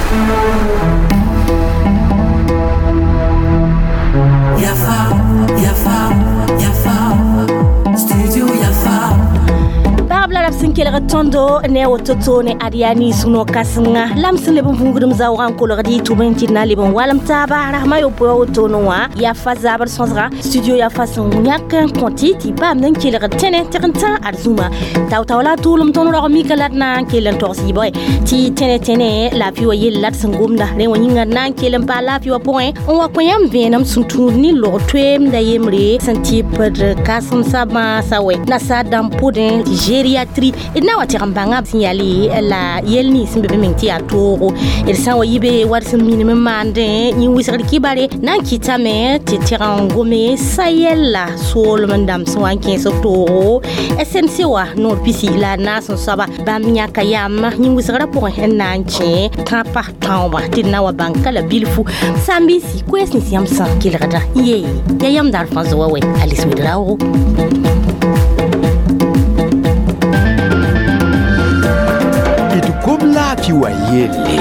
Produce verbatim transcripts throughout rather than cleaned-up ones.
Yafa, Yafa, Yafa, Studio Yafa. Babla la sẽn kelg tõndo ne woto to ne Adiani sũno kãsenga la m sẽn leb n vũudem zaoogã n kolgd y tʋb n tɩ d na leb n walem taaba rasmã yopoe wotone wã Yafa zabr sõsga studio Yafa sẽn yãk n kõ tɩ tɩ paamd n kelgd tẽne tɩg n tã ad zũma tao-tao la tʋʋlem tõnd rog mika la d na n kell n togs yɩbg tɩ tẽne tẽne laafɩ wa yell la d sẽn gomda rẽ wã yĩnga d na n kell n paa laafɩ wã pʋgẽ n wa kõ yãmb vẽenem sẽn tũud ne log toeemda yembre sẽn tɩpd kãsemsã bãasã wɛ nasaar dãmb pʋdẽ tɩ gériatrie d na n wa tɩg n bãnga sẽn yaa la yel nins sẽn be be meng tɩ yaa toogo d sã n wa yi be wa d sẽn minim n maandẽ yĩn wɩsgd kibare na n kɩtame tɩ tɩg n gome sa-yɛlla soolem n dãmb sẽn wa n kẽes b toogo S N C wa noor pisi la naas n soaba bãmb yãka yam yĩn wɩsgrã pʋgẽ n na n kẽ tãpa tãoobã tɩ d na wa bãng ka la bilfu sãn-biisi koɛɛs nins yãmb sã kelgda ye ya yãmb daar fãa zoa wɛ Alice Ouédraogo. D gom laafɩ wa yelle.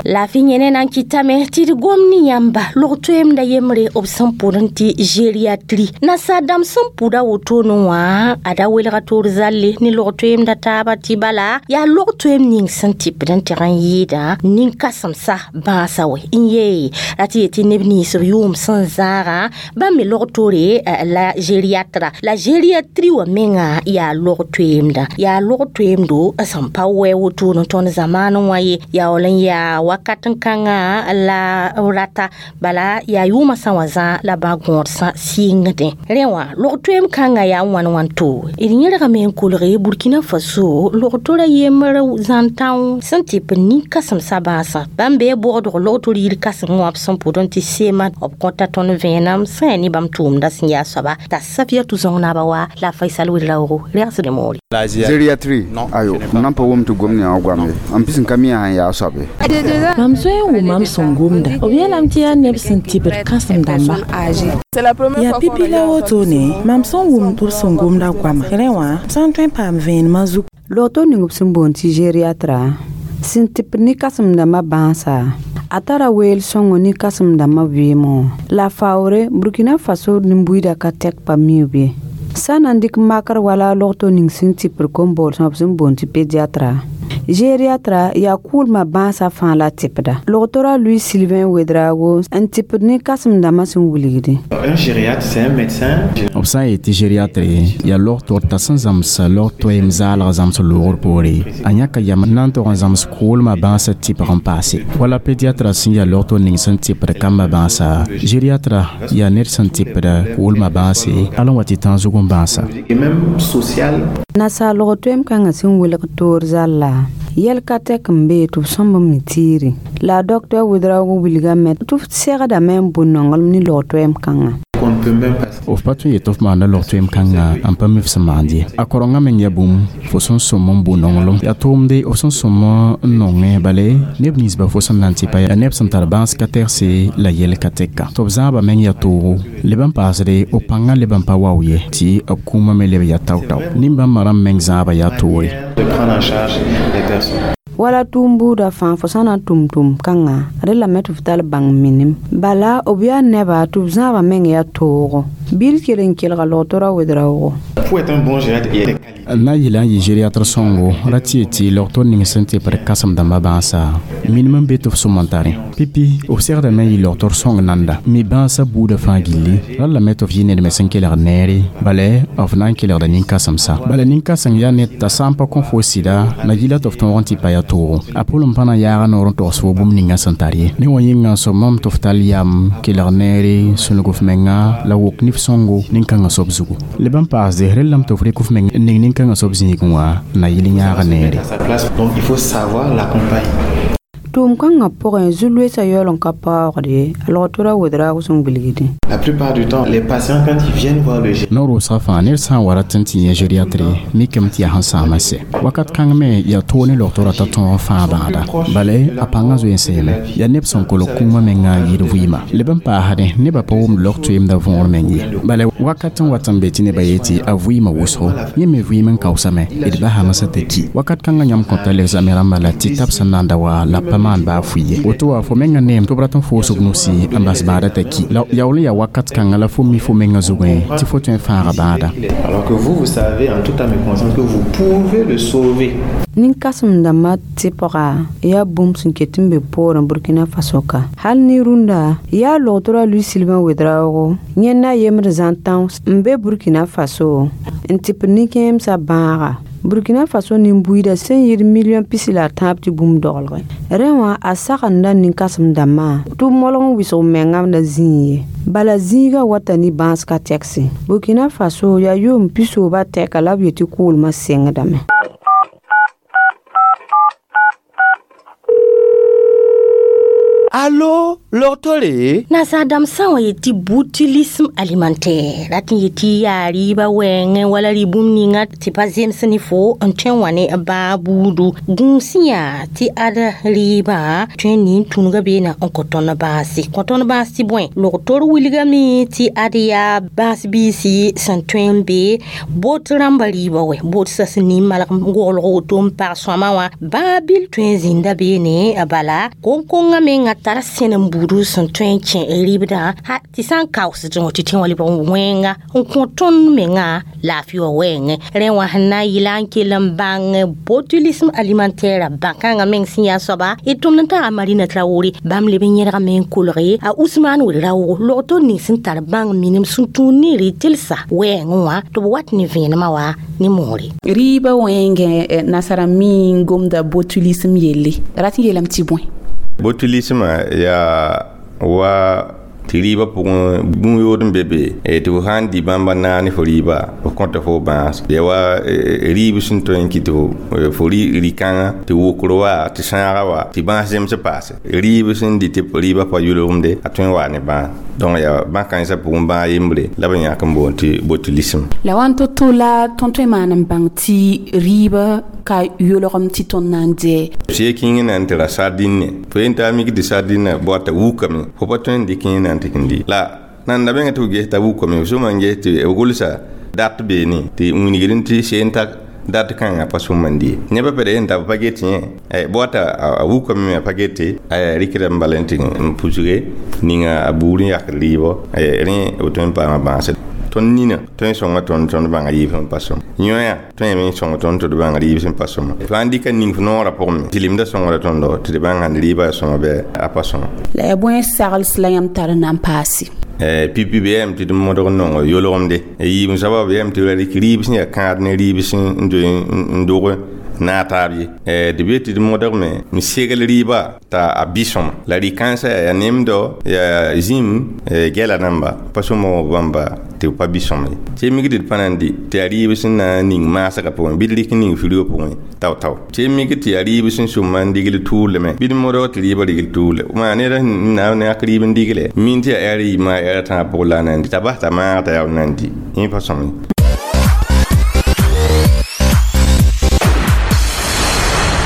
Laafɩ yẽne na n kɩtame tɩ d gom ne yãmba log toeemda yembre b sẽn pʋd n tɩ gériatrie nasaar dãmb sẽn pʋda wotone wã a da welga toor zalle ne log toeemda taaba tɩ bala yaa log toeem ning sẽn tɩpd n tɩg n yɩɩda nin-kãsemsa bãasã wɛ n yee ra tɩ yetɩ neb nins b yʋʋm sẽn zãagã bãmb me log toore la gériatra la gériatrie wã menga yaa log toeemda yaa log toeemdo sẽn pa wɛ wotone tõnd zamaanẽ wã ye yaool n yaa wakat n kãngã la rata bala yaa yʋʋmã sã wã zã la bã gõod sã sɩngdẽ rẽ wã log toeem kãngã yaa wãn wãn to d yẽrgame n kolge Burkina Faso log tora yembr zãn-tão sẽn tɩp nin-kãsemsã bãasã bãmb bee bogdg log tor yir kãseng wã b sẽn pʋd n tɩ sema b kõta tõnd vẽenem sẽn yaa ne bãmb tʋʋmda sẽn yaa soaba t'a Safiatou Zõng-naaba wa la Faisal Ouédraogo rɛgsd moore. Gériatrie ayo m nan pa wʋm tɩ gom ne wã goame n pis n ka mi sãn yaa soabe. Mam zoe n wʋm mam sẽn gomda b yeelame tɩ yaa neb sẽn tɩbd kãsem dãmba. Yaa pipi la wotone mam sẽn wʋm tɩ b sẽn gomda goama rẽ wã b sã n tõe n paam vẽenemã zug. Log-to ning b sẽn boond tɩ gériatra sẽn tɩpd ne kãsem-dãmbã bãasa a tara weel sõngo ne kãsem-dãmbã vɩɩmẽ la faoore Burkina Faso nin-buiidã ka tɛk pa miub ye sã n na n dɩk makr wala log-to ning sẽn tɩpd kom-boolsmã b sẽn boond tɩ pédiatra gériatra yaa kʋʋlmã bãasã fãa la tɩpda log-tora Louis Sylvain Ouédraogo n tɩpd ne kãsem-dãmbã sẽn wilgde. Un gériatre, c'est un médecin. B sã n yetɩ gériatre yaa log tɩ sẽn zãms log toeem zaalg zãms loogr poore a yãka yam n na n tog n zãms kʋʋlmã bãasã tɩpg n paase wala pédiatra sẽn yaa log ning sẽn tɩpd kambã bãasa gériatra yaa ned sẽn tɩpd kʋʋlmã bãase al n wa tɩ tãag zug n bãasa. Et même social. Nasaar log toeem kãngã sẽn welg toor zalla yɛl ka tɛk n bee tɩ b sõmb n mi tiire la a docteur Ouédraogo wilgame tɩ f segdame n bʋ nonglem ne log toeem kãngã. Qu'on ne peut même pas. F pa tõe n yet f maanda log toeem kãngã n pa mi f sẽn maand ye a korengã meng yaa bũmb fo sẽn sõm n bʋ nonglem yaa tʋʋmde f sẽn sõm n nongẽ bale neb ninsba fo sẽn na n tɩ pa yaa neb sẽn tar bãas ka tɛgse la yɛl ka tɛka tɩ b zãaba meng yaa toogo leb n paasde b pãngã leb n pa wao ye tɩ b kũumã me leb yaa tao-tao nin-bãmbã rãmb meng zãaba yaa toore. De prendre en charge les personnes. Wala tʋʋm buudã fãa fo sã na n tʋm tʋʋm kãngã rẽ lame tɩ f tall bãng minim bala b yaa neba tɩ b zãabã meng yaa toogo bil kell n kelga log-tora Ouédraogo. Pour être un bon gériatre, il y a des qualités. N na n yɩla n yɩ gériatre sõngo ra tɩ yetɩ log-tor ning sẽn tɩpd kãsem-dãmbã bãasa minim n be tɩ f sõm n tare pipi f segdame n yɩ log-tor sõng nanda mi bãasã buudã fãa gilli ra lame tɩ f yɩ ned me sẽn kelgd neere bala f na n kelgda nin-kãsemsa bala nin-kãseng yaa ned t'a sã n pa kõ fo sɩda na yɩla tɩ f tõog n tɩ pa yaa toogo a pʋlem pa na yaaga noor n togs fo bũmb ninga sẽn tar ye ne wã yĩnga n sõmame tɩ f tall yam kelg neere sũnug f menga la wok nif sõngo nin-kãngã soab zugu leb n paasde rellame tɩ f rɩk f meng n ning nin-kãngã soab zĩigẽ wã na yɩl yãaga neere. À sa place. Donc il faut savoir l'accompagner. Tʋʋm kãngã pʋgẽ zu-loeesã yaool n ka paoogd ye a logtora wedraago sẽn wilgdẽ. La plupart du temps, les patients, quand ils viennent voir le gériatre, Noor wʋsga fãa ned sã n wa rat n tɩ yẽ gériatre mikame tɩ yaa sẽn sãam n sɛ wakat kãng me yaa toog ne logtorã t'a tõog n fãa bãada bala a pãngã zoe n seeme yaa neb sẽn kolg kũumã menga n yɩɩd vɩɩma leb n paasdẽ nebã pa wʋmd log toeemda võor meng ye bala wakat n wat n be tɩ nebã yetɩ a vɩɩmã wʋsgo yẽ me vɩɩm n kaoosame d basame sã t'a ki wakat kãngã yãmb kõta l'exame rãmbã la tɩ tab sẽn na n da wa la pa maan baa fʋɩ ye woto wa fo menga neem tɩ b rat n foosg nusi n bas bãada t'a ki la yaool n yaa wakat kãngã la fo mi fo menga zugẽ tɩ fo tõe n fãaga bãada. Alors que vous, vous savez en toute âme et conscience que vous pouvez le sauver. Nin-kãsem-dãmbã tɩpga yaa bũmb sẽn ket n be poorẽ Burkina Faso ka hal ne rũndã yaa logtorã Louis Sylvain Ouedraogo yẽnd na yembd zãn-tão n be Burkina Faso n tɩpd nin-kẽemsã bãaga Burkina Faso nin-buiidã sẽn yɩɩd million pisi la a tãab tɩ bũmb doglgẽ rẽ wã a sagenda nin-kãsem-dãmbã tɩ b molg n wɩsg mengã la zĩig ye bala zĩigã wata ne bãas ka tɛkse Burkina Faso yaa yʋʋm pisoobã tɛka la b yetɩ kʋʋlmã sengdame. Allo, logtore? Nasaadãmb sã n wa yetɩ botulisme alimentaire rat n yetɩ yaa rɩɩbã wɛɛngẽ wala rɩ bũmb ninga tɩ pa zems ne fo n tõe n wa ne bãag buudu gũus yaa tɩ ad rɩɩbã tõe n nin tũnugã beena n kõ tõnd bãase kõ tõnd bãas tɩ bõe logtor wilgame tɩ ad yaa bãas biisi sẽn tõe n be bot rãmbã rɩɩbã wɛ bot sã sẽn nin malg goglg woto n pag sõama wã bãag bil tõe n zĩnda beene bala koŋ-kongã menga tara sẽn n buudu sẽn tõe n kẽ rɩbdã ha tɩ sã n kaoosdẽ tɩ tẽ wã lebg wẽnga n kõ tõnd menga laafɩ wã wɛɛngẽ rẽ wã sẽn na n yɩla n kell n bãng botulisme alimentaire bãn-kãngã meng sẽn yaa soaba d tʋmd n tara Marina Traoré bãmb leb n yẽdgame n kolge a Ousmane Ouedraogo logtor ning sẽn tar bãng minim sẽn tũud ne rɩ-tɩlsa wɛɛngẽ wã tɩ b wat ne vẽenemã wa ne moore. Rɩɩbã wẽngẽ nasara mi n gomda botulisme yelle rat n yeelame tɩ bõe? Botulisme yaa wa tɩ rɩɩbã pʋgẽ bũmb yood n be be tɩ fo sã n dɩ bãmba naag ne fo rɩɩba f kõta fo bãas ya wa rɩɩb sẽn tõe n kɩ tɩ fo rɩ-kãngã tɩ wokr wa tɩ sãaga wa tɩ bãas zems paase rɩɩb sẽn dɩ tɩ rɩɩbã pa yʋlgemde a tõe n waa ne bãas donc yaa bãn-kãensã pʋgẽ bãag yembre la b yãk n boond tɩ botulisme. La wãn to-to la tõnd tõe n maan n bãng tɩ rɩɩbã ka yʋlgem tɩ tõnd na n dɩ sɩ kĩng na n tɩ ra sardine fo yen t'a mik tɩ sardine bɔta wukame fo pa tõe n dɩk yẽ na n tɩ n dɩ la nan da menga tɩ f ges t'a wukame f sõma n ges tɩ b gʋlsa dat beene tɩ wilgd tɩ seen ta dat kãngã pa sõma n dɩ nebã pd yen t'a b pa get yẽ bɔta a wukame me a pa gete rɩkda n bala n tɩ n pusge ninga a buur n yakd rɩɩbɔ rẽ b tõe n paama bãase tõnd nina tõe n sõnga tõnd tõnd bãnga rɩɩb sẽn pa sõm yõa tõe me n sõng tõnd tɩ d bãng rɩɩb sẽn pa sõma fãa n dɩka ning f noorã pʋgẽ me tɩ sõngra tõndo tɩ d bãng sãn rɩɩbã yaa sõma bɩ a pa sõma. La yaa bõe sagls la yãmb tar n na n paase? Pipi bɩ yam tɩ d modg n nongo yolgemde yiib soaba bɩ yam tɩ ra rɩk rɩɩb sẽn yaa kãad ne rɩɩb sẽn zoe n dog na taab ye tɩ b yetɩ d modgme n segl rɩɩba t'a a bɩ sõma la rɩ-kãensã yaa nemdo yaa zĩm gɛla namba pa sõma bãmba tɩ b pa bɩ sõma ye tɩ mik tɩ d pa na n dɩ tɩ yaa rɩɩb sẽn na n ning maasgã pʋgẽ bɩ d rɩk ning firgã pʋgẽ tao-tao tɩ mik tɩ yaa rɩɩb sẽn sʋma n digl tʋʋlmẽ bɩ d modg tɩ rɩɩbã rigl tʋʋle maa ned sẽn na n yak rɩɩb n digle min tɩ yaa ɛɛr yiibmã ɛɛr tãab pʋgẽ la a na n dɩ t'a bas t'a maag t'a yaa na n dɩ yẽ pa sõm ye.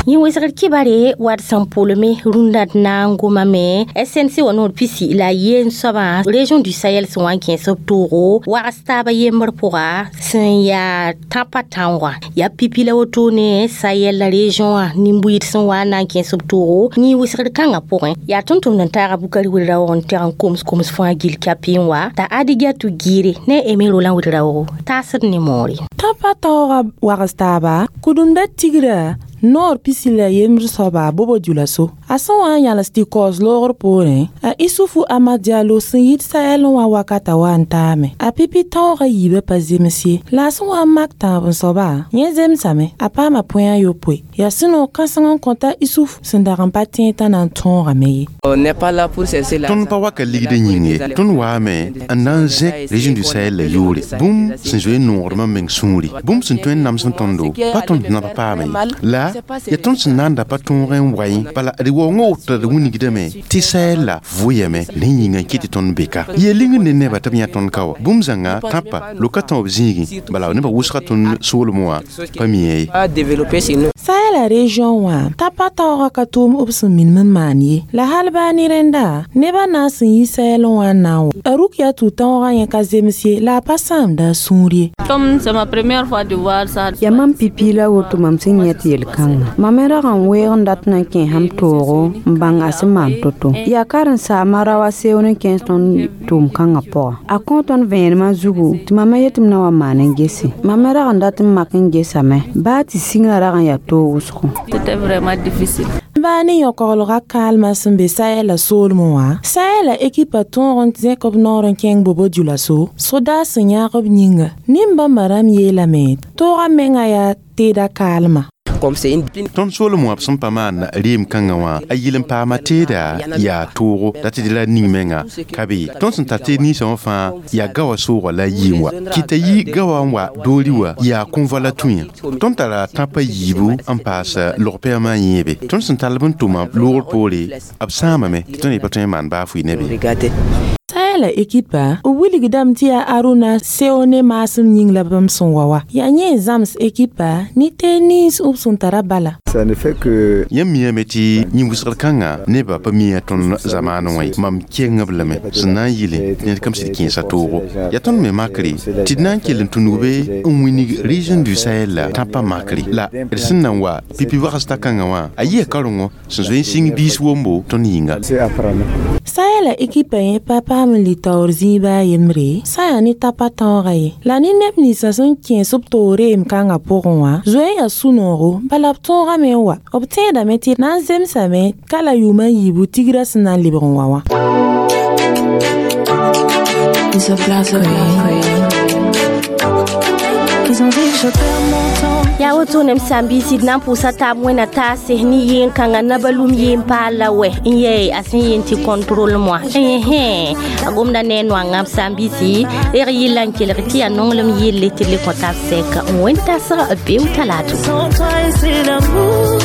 Yẽ wesgr kibare wad sẽn pʋlme rũndã d na n gomame S N C wã noor pisi la yen soabã région du Sahel sẽn wa n kẽes b toogo wags taabã yembr pʋga sẽn yaa tãpã tãoogã yaa pipi la wotone Sahel la région wã nin-buiid sẽn wa n na n kẽes b toogo yẽ wesgr kãngã pʋgẽ yaa tʋm-tʋmd n taaga Bukari Ouedraogo n tɛg n koms koms fãa gill kapɩ n wa t'a Adigatou Giire ne Aimé Roland Ouedraogo taasd ne moore. Tãpã taoogã wags taaba kudumda tigrã noor pisi la yembr soaba Bobo Dioulasso a sẽn wa n yãls tɩ kaoos loogr poorẽ a Isufu Amad Diallo sẽn yit Sahel n wa wakata wa n taame a pipi taoogã yiibã pa zems ye la a sẽn wa n mak tãab n soaba yẽ zemsame a paama põe a yopoe yaa sũ-noog kãseng n kõta Isuf sẽn dag n pa tẽeg t'a na n tõogame ye. Tõnd pa waka ligd yĩng ye tõnd waame n na n zẽk région du Sahel la yʋʋre bũmb sẽn zoe n noogdmã meng sũuri bũmb sẽn tõe n nams n tõndo pa tõnd naba paame ye la Bala yaa tõnd sẽn na n da pa tõog n wa yẽ, bala d waoongã woto d wilgdame tɩ Sahel la vʋyame, rẽ yĩnga n kɩt tɩ tõnd be ka yeel ling ne nebã tɩ b yã tõnd ka wa. Bũmb zãnga tãpa loka tão b zĩigẽ, bala nebã wʋsga tõnd soolmẽ wã pa mi ye. Sahel la région wã tãpa taoogã ka tʋʋm b sẽn minim n maan ye, la hal baa ne rẽnda nebã na n sẽn yi Sahel wã n na n wa. A Rukia tʋ taoogã yẽ ka zems ye, la a pa sãamda a sũur ye. Yaa mam pipi la woto mam sẽn yẽ tɩ yel-kãngã. Mam me rag n weeg n dat n na n kẽ sãm toogo n bãng a sẽn maan to-to. Yaa karen-saamã ra wa seoon n kẽes tõnd tʋʋm-kãngã pʋga. A kõ tõnd vẽenemã zugu tɩ mam me yet tɩ m na wa maan n gese. Mam me rag n dat n mak n gesame baa tɩ sĩngrã rag n yaa toog wʋsgo. Baa ne yõkoglgã kaalmã sẽn be Sahel soolmẽ wã, Sahel ekipa tõog n zẽk b noor n kẽng Bobo Dioulasso sodaas sẽn yãag b yĩnga. Nin-bãmba rãmb yeelame toogã menga yaa teeda kaalmã. Tõnd soolem wã b sẽn pa maan reem kãngã wã, a yɩl n paama teeda yaa toogo la tɩ la ning menga ka be. Tõnd sẽn tar teed ninsã wã fãa yaa gawa soogã la a yii n wa kɩta yi gawa n wa doori wa yaa kõ-vo la tũ yã. Tõnd tara tãpã yiibu n paas log-pɛgmã yẽebe. Tõnd sẽn tall b n tʋma loogr poore, b sãamame tɩ tõnd pa tõe n maan baa fʋɩ ne be. Sahel ekipa b wilgdame tɩ yaa Aruna Seone maasem yĩng la bãmb sẽn wa wa. Yaa yẽ n zãms ekipa ne teed nins b sẽn tara bala. Ça ne fait que Yãmb miame tɩ yĩn-wʋsgr kãngã nebã pa mi tõnd zamaanẽ wã ye. Mam keng b lame sẽn na n yɩle ned kam sɩd kẽesa toogo. Yaa tõnd me makre tɩ d na n kell n tũnug be n wilg région du Sahel la tãpã makre, la d sẽn na n wa pipi wagsda kãngã wã a yɩa karengo sẽn zoe n sĩng biis wombo tõnd yĩnga. Sahel ekipa yẽ pa paam n litaoor zĩiba a yembre sã yaa ne tãpã tãoogã ye, la ne neb ninsã sẽn kẽes b toog reem kãngã pʋgẽ wã zoe n yaa sũ-noogo, bala b tõogame n wa. B tẽedame tɩ na n zemsame ka la yʋʋm a yiibu tigrã sẽn na n lebg n wa wã. Ils se placent. Ils ont dit que je perds mon temps. Yaa woto nem sãn-biisi d na n pʋʋsa taab wẽna taase ne yeen-kãngã nabalum yeen paal la wɛ n yɛɛ a sẽn yeen tɩ contrôle moi ɛhẽ a gomda ne a noangã b sãn-biisi reg yɩlla n kelg tɩ yaa nonglem yelle tɩ d le kõ tab sɛka n wẽn tasg beo talato. Sans toi et c'est l'amour.